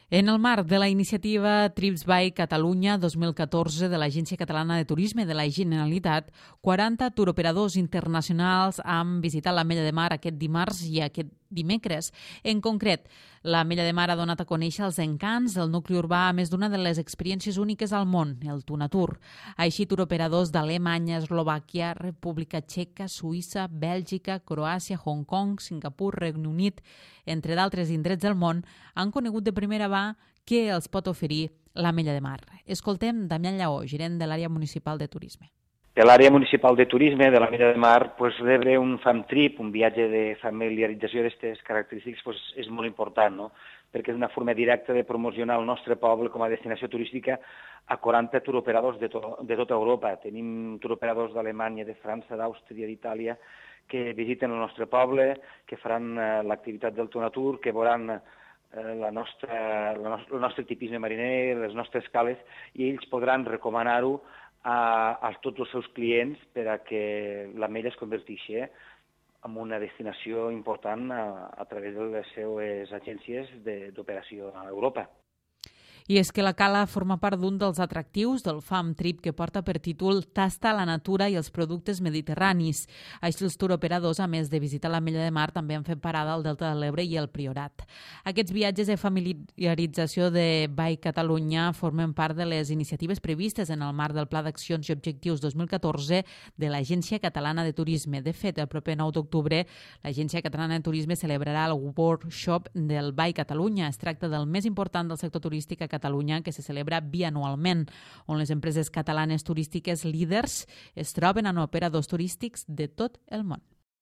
En el marc de la iniciativa Trips by Catalunya 2014 de l'Agència Catalana de Turisme de la Generalitat, 40 turoperadors internacionals han visitat l'Ametlla de Mar aquest dimarts i aquest dimecres. En concret, l'Ametlla de Mar ha donat a conèixer els encants del nucli urbà a més d'una de les experiències úniques al món, el Tunatur. Així, turoperadors d'Alemanya, Eslovàquia, República Txeca, Suïssa, Bèlgica, Croàcia, Hong Kong, Singapur, Regne Unit, entre d'altres indrets del món, han conegut de primera mà què els pot oferir l'Ametlla de Mar. Escoltem Damián Lleó, gerent de l'àrea municipal de turisme. De l'àrea municipal de turisme de l'Ametlla de Mar, rebre un fam trip, un viatge de familiarització d'aquestes característiques, és molt important, no? Perquè és una forma directa de promocionar el nostre poble com a destinació turística a 40 turoperadors de tota Europa. Tenim turoperadors d'Alemanya, de França, d'Àustria, d'Itàlia, que visiten el nostre poble, que faran l'activitat del Tunatur, que veuran el nostre tipisme mariner, les nostres cales, i ells podran recomanar-ho a tots els seus clients per a que l'Ametlla es converteixi en una destinació important a través de les seues agències d'operació a Europa. I és que la cala forma part d'un dels atractius del Fam Trip que porta per títol Tasta la natura i els productes mediterranis. Així els turoperadors, a més de visitar l'Ametlla de Mar, també han fet parada al Delta de l'Ebre i el Priorat. Aquests viatges de familiarització de By Catalunya formen part de les iniciatives previstes en el marc del Pla d'Accions i Objectius 2014 de l'Agència Catalana de Turisme. De fet, el proper 9 d'octubre, l'Agència Catalana de Turisme celebrarà el workshop del By Catalunya. Es tracta del més important del sector turístic a Catalunya, que se celebra bianualment, on les empreses catalanes turístiques líders es troben amb operadors turístics de tot el món.